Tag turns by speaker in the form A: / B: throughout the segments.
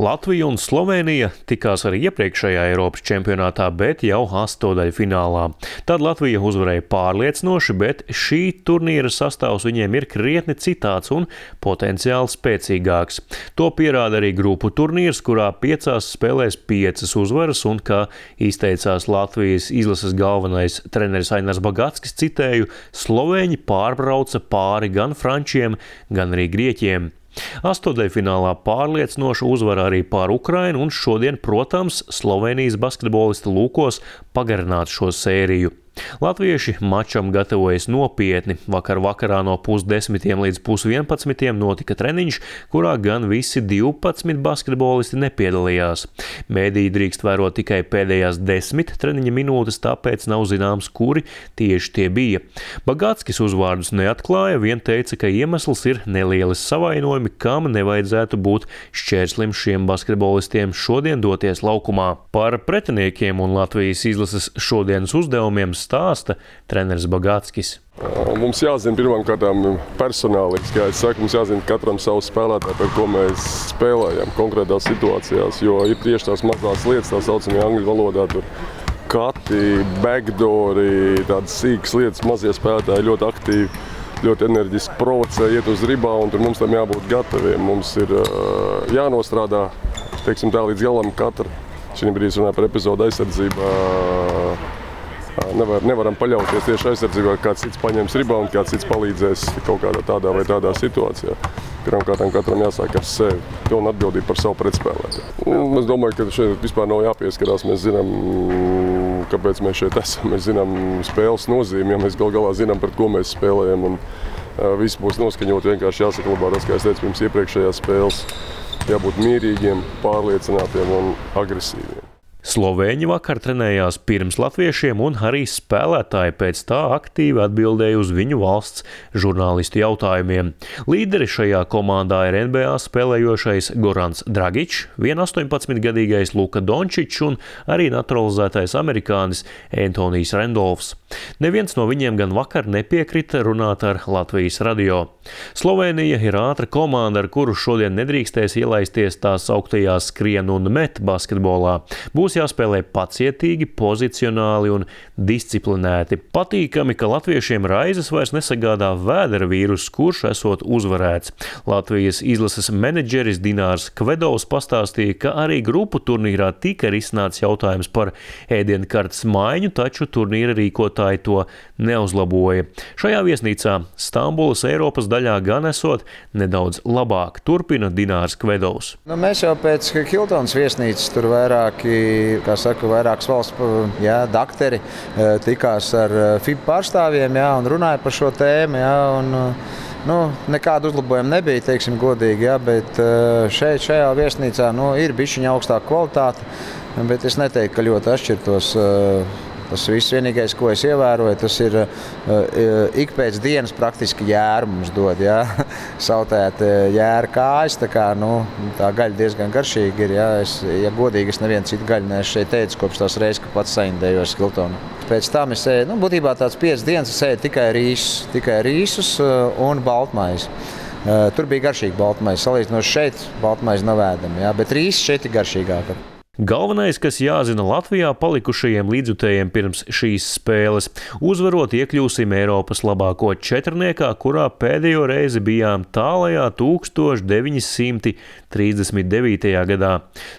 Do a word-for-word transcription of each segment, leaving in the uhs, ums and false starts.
A: Latvija un Slovēnija tikās arī iepriekšējā Eiropas čempionātā, bet jau astotdaļfinālā. Tad Latvija uzvarēja pārliecinoši, bet šī turnīra sastāvs viņiem ir krietni citāds un potenciāli spēcīgāks. To pierāda arī grupu turnīrs, kurā piecās spēlēs piecas uzvaras un, kā izteicās Latvijas izlases galvenais treneris Ainars Bagatskis, citēju, slovēņi pārbrauca pāri gan frančiem, gan arī grieķiem. Astotdaļfinālā pārliecinoša uzvara arī pār Ukrainu, un šodien, protams, Slovēnijas basketbolisti lūkos pagarināt šo sēriju. Latvieši mačam gatavojas nopietni. Vakar vakarā no pusdesmitiem līdz pusvienpadsmitiem notika treniņš, kurā gan visi divpadsmit basketbolisti nepiedalījās. Mēdīji drīkst vērot tikai pēdējās desmit treniņa minūtes, tāpēc nav zināms, kuri tieši tie bija. Bagatskis uzvārdus neatklāja, vien teica, ka iemesls ir nelielas savainojumi, kam nevajadzētu būt šķērslim šiem basketbolistiem šodien doties laukumā. Par pretiniekiem un Latvijas izlases šodienas uzdevumiem stāsta treneris Bagatskis.
B: Mums jāzina pirmām kārtām personāli, kā es saku, mums jāzina katram savu spēlētāju, par ko mēs spēlējam konkrētās situācijās, jo ir tieši tās mazās lietas, tā saucamie angļu valodā, tur kati, backdoori, tādas sīkas lietas, mazie spēlētāji ļoti aktīvi, ļoti enerģiski provocē, iet uz ribāundu, un tur mums tam jābūt gataviem. Mums ir jānostrādā, teiksim tā, līdz galam katra. Šī brīdī runāja par epizodu aizsardzībā. Nevar, nevaram paļauties tieši aizsardzībā, ka kāds cits paņems ribāundu, kāds cits palīdzēs kaut kādā tādā vai tādā situācijā. Pirmkārt, katram jāsāk ar sevi, un atbildība par savu pretspēlētāju. Es domāju, ka šeit vispār nav jāpieskarās. Mēs zinām, kāpēc mēs šeit esam. Mēs zinām spēles nozīmi, ja mēs gal galā zinām, pret ko mēs spēlējam. Un viss būs noskaņot, vienkārši jāsaklabā tas, kā es teicu, pirms iepriekšējās spēles. Jābūt mierīgiem, pārliecinātiem un agresīviem.
A: Slovēņi vakar trenējās pirms latviešiem, un arī spēlētāji pēc tā aktīvi atbildēja uz viņu valsts žurnālistu jautājumiem. Līderi šajā komandā ir N B A spēlējošais Gorans Dragičs, vien astoņpadsmitgadīgais Luka Dončičs un arī naturalizētais amerikānis Antonijs Rendolfs. Neviens no viņiem gan vakar nepiekrita runāt ar Latvijas radio. Slovēnija ir ātra komanda, ar kuru šodien nedrīkstēs ielaisties tās augtajā skrien un met basketbolā. Būs jāspēlē pacietīgi, pozicionāli un disciplinēti. Patīkami, ka latviešiem raizes vairs nesagādā vēdera vīrus, kurš esot uzvarēts. Latvijas izlases menedžeris Dinārs Kvedovs pastāstīja, ka arī grupu turnīrā tika risināts jautājums par ēdienkartes maiņu, taču turnīra rīkotāji to neuzlaboja. Šajā viesnīcā Stambulas Eiropas daļā gan esot nedaudz labāk, turpina Dinārs Kvedovs.
C: Nu, mēs jau pēc Hiltons viesnīcas tur vairāki kā saka, vairākas valsts jā, dakteri tikās ar F I B pārstāvjiem jā, un runāja par šo tēmu. Jā, un, nu, nekādu uzlabojumu nebija, teiksim godīgi, jā, bet šeit, šajā viesnīcā nu, ir bišķiņa augstāka kvalitāte, bet es neteiktu, ka ļoti atšķirtos. Tas viss vienīgais, ko es ievēroju, tas ir uh, ik pēc dienas praktiski jēru mums dod, jā. Sautēt jēra kājas, tā kā, nu, tā gaļa diezgan garšīga ir, jā. Es, ja godīgi, es nevienu citu gaļu neesmu šeit teicis, kopš tās reizes, ka pats saindējos Hiltonu. Pēc tam es ēdu, nu, būtībā tāds piecas dienas es ēdu tikai rīsus, tikai rīsus uh, un baltmaizi. Uh, tur bija garšīga baltmaize, salīdzinoši šeit baltmaize nav ēdama, jā, bet rīsus šeit ir garšīgāka.
A: Galvenais, kas jāzina Latvijā palikušajiem līdzjutējiem pirms šīs spēles, uzvarot iekļūsim Eiropas labāko četrniekā, kurā pēdējo reizi bijām tālajā tūkstoš deviņi simti trīsdesmit devītajā gadā.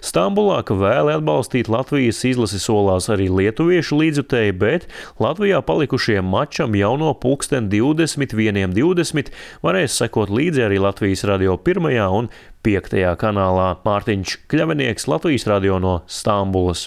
A: Stambulā, ka vēli atbalstīt Latvijas izlasi solās arī lietuviešu līdzjutēji, bet Latvijā palikušajiem mačam jau no pulksten divdesmit vieniem divdesmit varēs sekot līdzi arī Latvijas radio pirmajā un piektajā kanālā. Mārtiņš Kļavinieks, Latvijas radio no Stambulas.